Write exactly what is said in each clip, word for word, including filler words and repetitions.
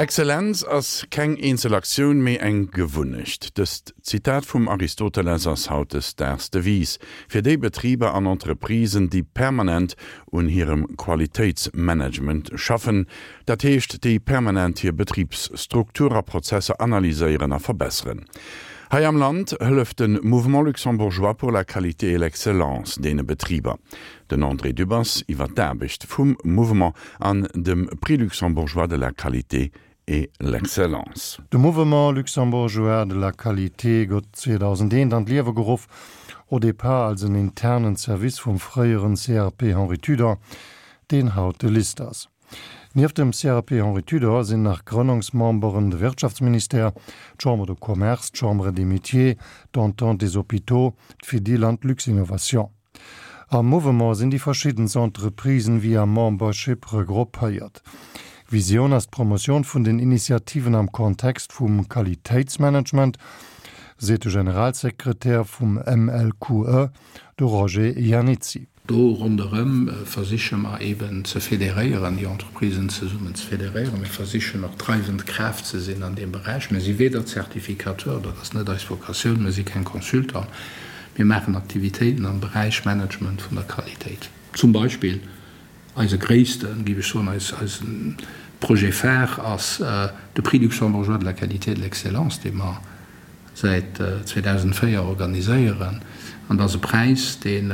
Exzellenz ass keng eenzel Aktioun, mee eng Gewunnecht. Dëst Zitat vum Aristoteles ass hautdesdaags d'Devise fir déi Betriber an Entreprisen, déi permanent un hirem Qualitéitsmanagement schaffen, dat heescht déi permanent hir Betribsstruktur a Prozesser analyséieren a verbesseren. Hei am Land hëlleft de Mouvement luxembourgeois pour la qualité et l'excellence deene Betriber. Den André Dübbers iwwer d'Aarbecht vum Mouvement an dem Prix luxembourgeois de la qualité et l'excellence. De Mouvement luxembourgeois de la qualité gouf zweedausendeent an d'Liewe geruff, au départ als en internen Service vum fréieren C R P Henri Tudor, deen haut de LIST ass. Nieft dem C R P Henri Tudor sinn nach Grënnungsmemberen de Wirtschaftsministère, d'Chambre de Commerce, d'Chambre des Métiers, d'Entente des Hôpitaux, d'Fedil an d'Luxinnovation. Am Mouvement sinn déi verschiddenst Entreprisen via Membership regroupéiert. Visioun ass d'Promotioun vun den Initiativen am Kontext vum Qualitéitsmanagement, seet de Generalsekretär vum M L Q E, de Roger Iannizzi. Do ronderëm versiche mer eben ze federéieren, déi Entreprisen zesummen ze federéieren. Mir versichen och dreiwend Kraaft ze sinn an deem Beräich. Mir si weder Zertifikateur, dat ass net eis Vocatioun, mir si keng Consultant. Mir maachen Aktivitéiten am Beräich Management vun der Qualitéit. Zum Beispill eise gréissten, géif ech soen, eis, eisen Projet phare ass de Prix luxembourgeois de la qualité et de l'excellence, dee mer säit zweedausendvéier organiséieren. An dat ass e Präis, deen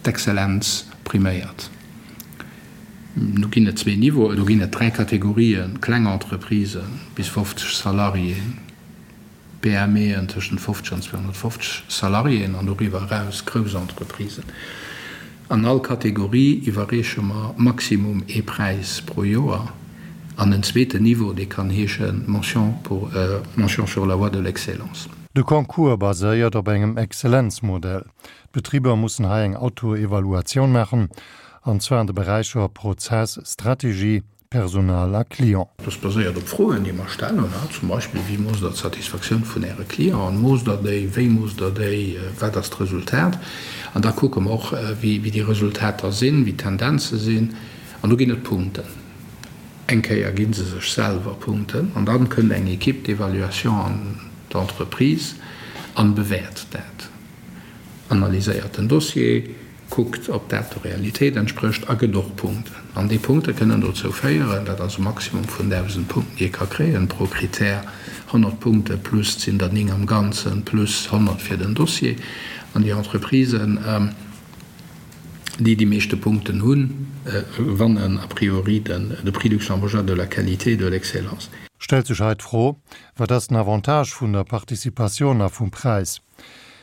d'Exzellenz priméiert. Do ginn et zwee Niveauen, do ginn et dräi Kategorien, kleng Entreprisen bis fofzeg Salariéen, P M Eën tëschent fofzeg an zweehonnertfofzeg Salariéen an doriwwer eraus grouss Entreprisen. An all Kategorie iwwerreeche mer maximum ee Präis pro Joer. An en zweeten Niveau, dee kann heeschen Mention pour, Mention sur la voie de l'excellence. De Concours baséiert op engem Exzellenzmodell. D'Betriber mussen hei eng Autoevaluatioun maachen, an zwar an de Beräicher Prozess, Strategie, Personal a Client. Dat baséiert op Froen, déi mer stellen, zum Beispill, Wéi moosst Der d'Satisfaktioun vun Äre Clienten? Moosst Der déi? Wéi moosst Der déi? Wat ass d'Resultat? An da kucke mer och, wéi déi Resultater sinn, wéi d'Tendenze sinn. An do ginn et Punkten. Eng Kéier gi se sech selwer Punkten an da kënnt eng Équipe d'évaluation an d'Entreprise an bewäert dat, analyséiert den Dossier, kuckt, ob dat der Realitéit entsprécht a gëtt och Punkten. An déi Punkte kënnen dozou féieren, dat ass e Maximum vun dausend Punkten, déi ee ka kréien pro Critère, honnert Punkte plus, et sinn der néng am Ganzen, plus honnert fir den Dossier. An déi Entreprisen, déi déi meeschte Punkten hunn, wannen a priori den de Prix luxembourgeois de la qualité et de l'excellence. Stellt sech hei d'Fro, Wat ass den Avantage vun der Participatioun a vum Präis?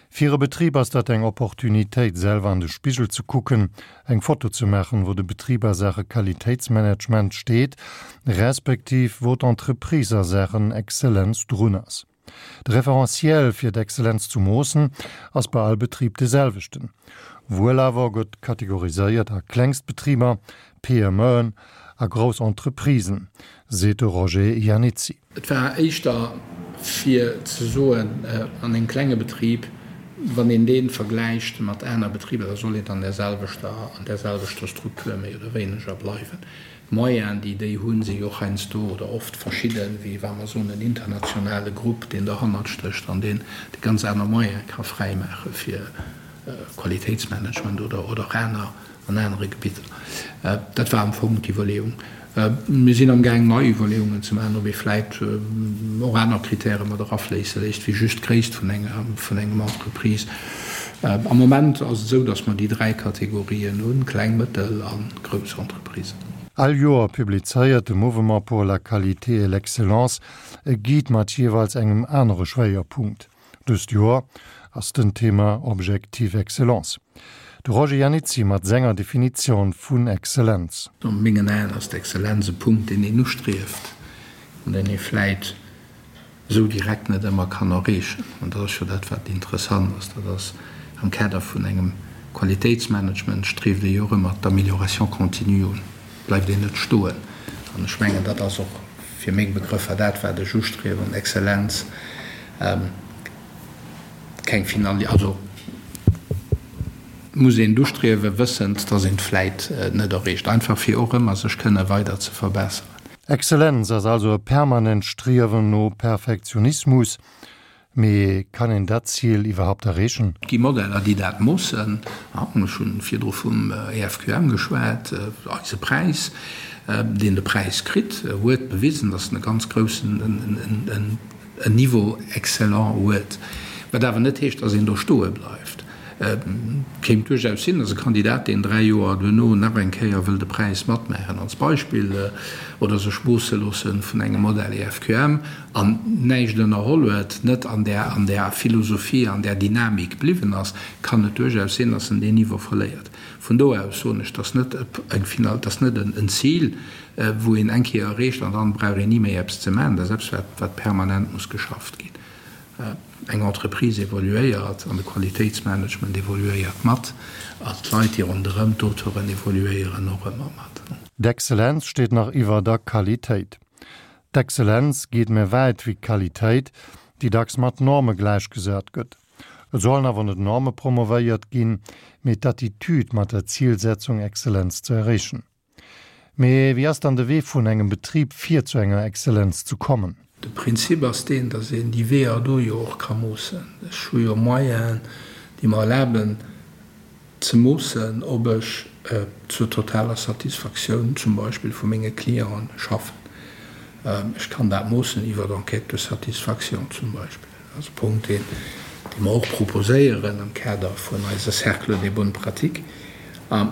Fir e Betrib ass dat eng Opportunitéit, selwer an de Spigel ze kucken, eng Foto ze maachen, wou de Betrib a Saache Qualitéitsmanagement steet, respektiv wou d'Entreprise a Saachen Exzellenz drun ass. De Referentiel fir d'Exzellenz ze moossen ass bei all Betrib de selwechten. Wuel awer gëtt kategoriséiert a klengst Betriber, P M Eën a grouss Entreprisen, seet de Roger Iannizzi. Et war éischter fir ze soen, an engem klenge Betrib, wann een dee vergläicht mat aner Betriber, da soll een an där selwechter, an där selwechter Struktur méi oder wéineger bleiwen. D'Moyenen, déi déi hunn, si jo och heiansdo oder oft verschidden, wéi wa mer soen en internationale Grupp, deen derhannert stécht an deen ganz aner Moyene ka fräimaache fir Qualitéitsmanagement oder och aner an anere Gebidder. Dat war am Fong d'Iwwerleeung. Mir sinn amgaang nei Iwwerleeungen ze maachen, ob ee vläit och aner Kritäre mat erafléisse léisst wéi just d'Gréisst vun enger vun engem Entreprise. Am Moment ass et esou, datt mer déi dräi Kategorien hunn, kleng, mëttel a grouss Entreprisen. All Joer publizéiert de Mouvement pour la qualité et l'excellence e Guide mat jeeweils engem anere Schwéierpunkt. Dëst Joer ass den Thema Objectif Excellence. De Roger Iannizzi mat senger Definitioun vun Exzellenz. A mengen Aen ass d'Exzellenz e Punkt, deen een ustrieft an deen ee vläit esou direkt net ëmmer kann erreechen. An dat ass jo dat, wat interessant ass. Dat ass am Kader vun engem Qualitéitsmanagement strieft ee jo och ëmmer d'Amélioration continue un, bleift een net stoen. An ech mengen, dat ass och fir meng Begrëffer dat, wat ech ustriewen, Exzellenz. Keng Finali, also muss een d'ustriewen, wëssend, dass een et vläit net erreecht, einfach fir och ëmmer sech kënne weider ze verbesseren. Exzellenz ass also e permanent Striewen no Perfektionismus. Mee kann een dat Zil iwwerhaapt erreechen? Et gi Modeller, déi dat moossen. Ech hu virdru vum E F Q M geschwat, eise Präis, deen de Präis kritt huet, bewisen, datt en e ganz groussen en Niveau excellent huet. Wat awer net heescht, datt een do stoe bleift. Et kéint duerchaus sinn, datt e Kandidat, deen dräi Joer duerno nach eng Kéier wëll de Präis matmaachen, als Beispill, oder sech moosse loosse vun engem Modell E F Q M an näischt ënnerholl huet, net an där an där Philosophie, an där Dynamik bliwwen ass, kann et duerchaus sinn, datt en deen Niveau verléiert. Vun do aus soen ech, datt net eng Final, datt net en Zil, wou een eng Kéier erreecht an dann brauch een ni méi eppes ze maachen. Dat ass eppes, wat wat permanent muss geschafft ginn. Eng Entreprise evoluéiert an de Qualitéitsmanagement evoluéiert mat an d'Leit, déi ronderëm d'Auteuren evoluéieren och ëmmer mat. D'Exzellenz steet nach iwwer der Qualitéit. D'Exzellenz geet méi wäit wéi d'Qualitéit, déi dacks mat Norme gläichgesat gëtt. Et sollen awer net Norme promovéiert ginn, mee d'Attitüd mat der Zilsetzung Exzellenz ze erreechen. Mee wéi ass dann de Wee vun engem Betrib fir zu enger Exzellenz ze kommen? De Prinzip ass deen, datt een déi Weeër do jo och ka moossen. Ech hu jo Moyenen, déi mer erlaben ze moossen, ob ech zur totaler Satisfaktioun zum Beispill vu menge Clienten schaffen. Ech kann dat moossen iwwer Enquêtes de satisfaction zum Beispill. Dat ass e Punkt, deen dee mer och proposéieren am Kader vun eise Cercle des bonnes pratiques.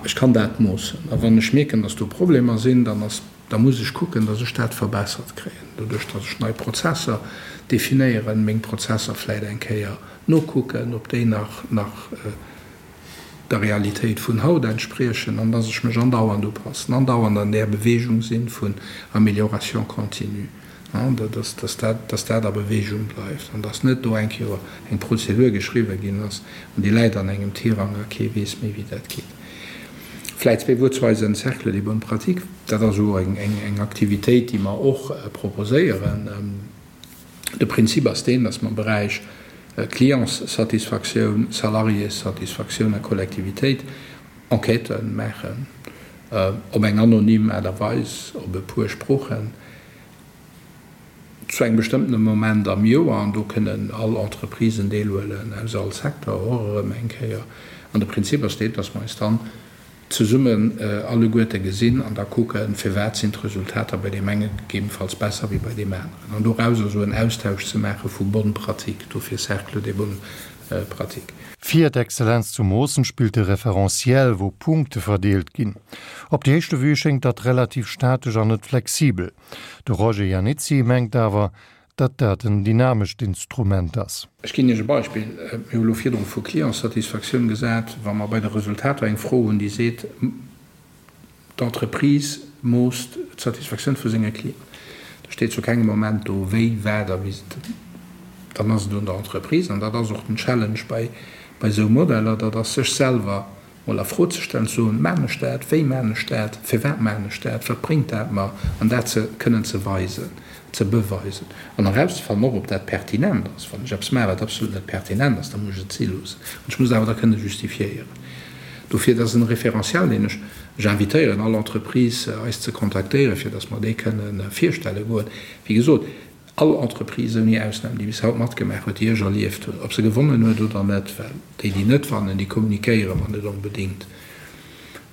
Ech kann dat moossen. A wann ech mierken, datt do Problemer sinn, dann ass, da muss ech kucken, datt ech dat verbessert kréien, doduerch datt ech nei Prozesser definéieren, meng Prozesser vläicht eng Kéier nokucken, ob déi nach nach der Realitéit vun haut entspriechen, an datt ech mech andauernd upassen, andauernd an där Bewegung sinn vun Amélioration continue, datt dat datt dat a Bewegung bleift an datt net do eng Kéier eng Prozedur geschriwwen ginn ass an déi läit an engem Tirang a kee weess méi wéi dat geet. Vläit zwee Wuert zu eisem Cercle des bonnes pratiques. Dat ass och eng eng Aktivitéit, déi mer och proposéieren. De Prinzip ass deen, datt mer am Beräich Clientssatisfaktioun, Salariéssatisfaktioun a Kollektivitéit Enquêtë maachen, op eng anonym Aart a Weis, op e puer Sproochen, zu engem bestëmmtene Moment am Joer, an do kënnen all Entreprisen deelhuelen, aus all Secteur och erëm eng Kéier. An de Prinzip ass deen, dass mer eis dann zesummen alleguerte gesinn an da kucken, firwat sinn d'Resultater bei deem enge gegebenfalls besser wéi bei deem aneren, an dorauser esou en Austausch ze maache vu bonnes pratiques, dofir Cercle des bonnes pratiques. Fir d'Exzellenz ze moossen, spillt de Referentiel, wou Punkte verdeelt ginn. Op déi éischte Vue schéngt dat relativ statesch an net flexibel. De Roger Iannizzi mengt awer, datt dat en dynamescht Instrument ass. Ech ginn Iech e Beispill, Mir hu lo virdru vu Clientssatisfaktioun gesat. Wa mer bei de Resultater eng Fro hunn, déi seet, d'Entreprise moosst d'Satisfaktioun vu senge Clienten, da steet zu kengem Moment do, wéi, wat a wéi se, dann ass et un der Entreprise, an dat ass och den Challenge bei esou Modeller, dat ass sech selwer mol a Fro ze stellen, ze soen, Maan ech dat? Wéi maan ech dat? Firwat maan ech dat? Wat bréngt dat mer? An dat ze kënnen ze weisen, ze beweisen an erauszefannen och, ob dat pertinent ass. Wann ech eppes maachen, wat absolut net pertinent ass, da muss ech et si loossen. An ech muss et awer da kënne justifiéieren. Dofir, dat ass en Référentiel, deen ech, ech invitéieren all Entreprise, eis ze kontaktéieren, fir datt mer dee kënne virstelle goen. Wéi gesot, all Entreprise ouni Ausnam, déi bis haut matgemaach huet, déi ech erlieft hunn, ob se gewonnen huet oder net, well déi, déi net wannen, déi kommunikéiere mer net onbedéngt,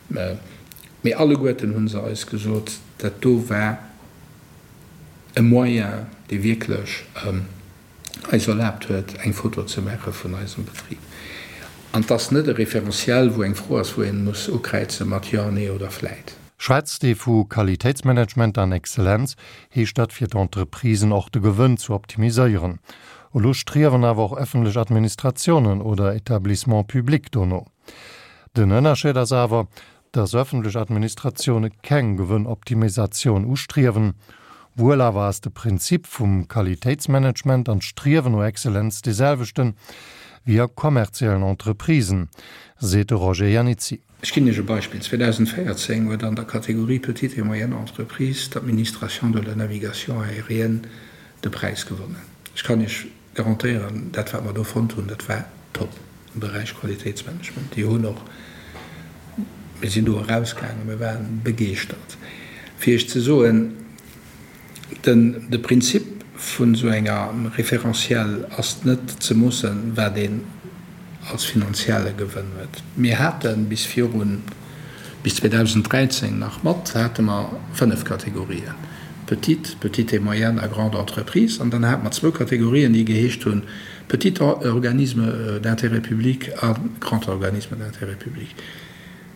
mee alleguerten hu se eis gesot, dat do war e Moyen, dee wierklech eis erlaabt huet, eng Foto ze maache vun eisem Betrib. An 't ass net e Référentiel, wou eng Fro ass, wou ee muss ukräize mat Jo, Nee oder Vläit. Schwätzt ee vu Qualitéitsmanagement an Exzellenz, heescht dat fir d'Entreprisen och de Gewënn ze optimiséieren. Elo striewen awer och ëffentlech Administratiounen oder Etablissements publics dono. Den Ënnerscheed ass awer, datt ëffentlech Administratioune keng Gewënnoptimisatioun ustriewen. Wuel awer ass de Prinzip vum Qualitéitsmanagement an d'Striewen no Exzellenz dee selwechten wéi a kommerziellen Entreprisen, seet de Roger Iannizzi. Ech ginn Iech e Beispill, zweedausendvéierzéng huet an der Kategorie Petites et moyennes entreprises d'Administration de la navigation aérienne de Präis gewonnen. Ech kann Iech garantéieren, dat wat mer do fonnt hunn, dat war top am Beräich Qualitéitsmanagement. Déi hunn och, mir sinn do erausgaangen, mir waren begeeschtert. Fir Iech ze soen, Den, de Prinzip vun esou enger Référentiel ass net ze moossen, wat een als finanzielle Gewënn huet. Mir hate bis virun, bis zweedausenddräizéng nach mat, hate mer fënnef Kategorien, petite, petite et moyenne a grande entreprise. An dann hate mer zwou Kategorien, déi geheescht hunn, petit organisme d'intérêt public a grand organisme d'intérêt public.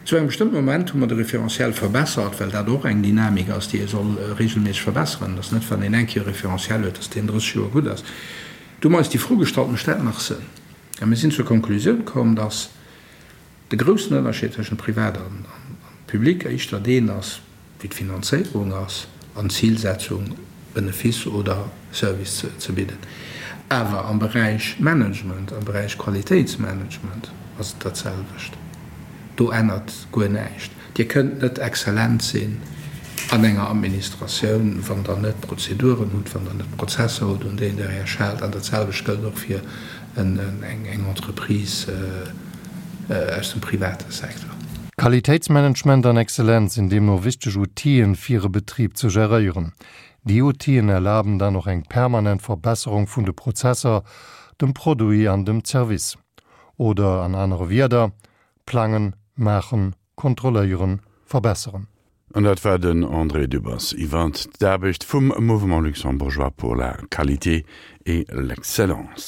Zu engem bestëmmte Moment hu mer de Référentiel verbessert, well dat och eng Dynamik ass, déi ee soll regelméisseg verbesseren. Et ass net, wann een eng Kéier e Référentiel huet, dass deen drësseg Joer gutt ass. Du hu mer eis déi Fro gestallt, Mécht dat nach Sënn? A mir sinn zur Konklusioun komm, dass de groussen Ënnerscheed tëschent Privat an Public éischter deen ass, wéi d'Finanzéierung ass an d'Zilsetzung, Benefice oder Service ze bidden. Awer am Beräich Management, am Beräich Qualitéitsmanagement ass et dat selwecht. Do ännert guer näischt. Dir kënnt net exzellent sinn an enger Administratioun, wann Der net Prozeduren hutt, wann Der net Prozesser hutt, un deenen Der Iech haalt. An dat selwecht gëllt och fir eng Entreprise aus dem private Secteur. Qualitéitsmanagement an Exzellenz sinn deemno wichteg Outile fir e Betrib ze geréieren. Déi Outilen erlaben dann och eng permanent Verbesserung vun de Prozesser, dem Produit an dem Service. Oder an anere Wierder, plangen, maachen, kontrolléieren, verbesseren. An dat war den André Dübbers iwwer d'Aarbecht vum Mouvement luxembourgeois pour la qualité et l'excellence.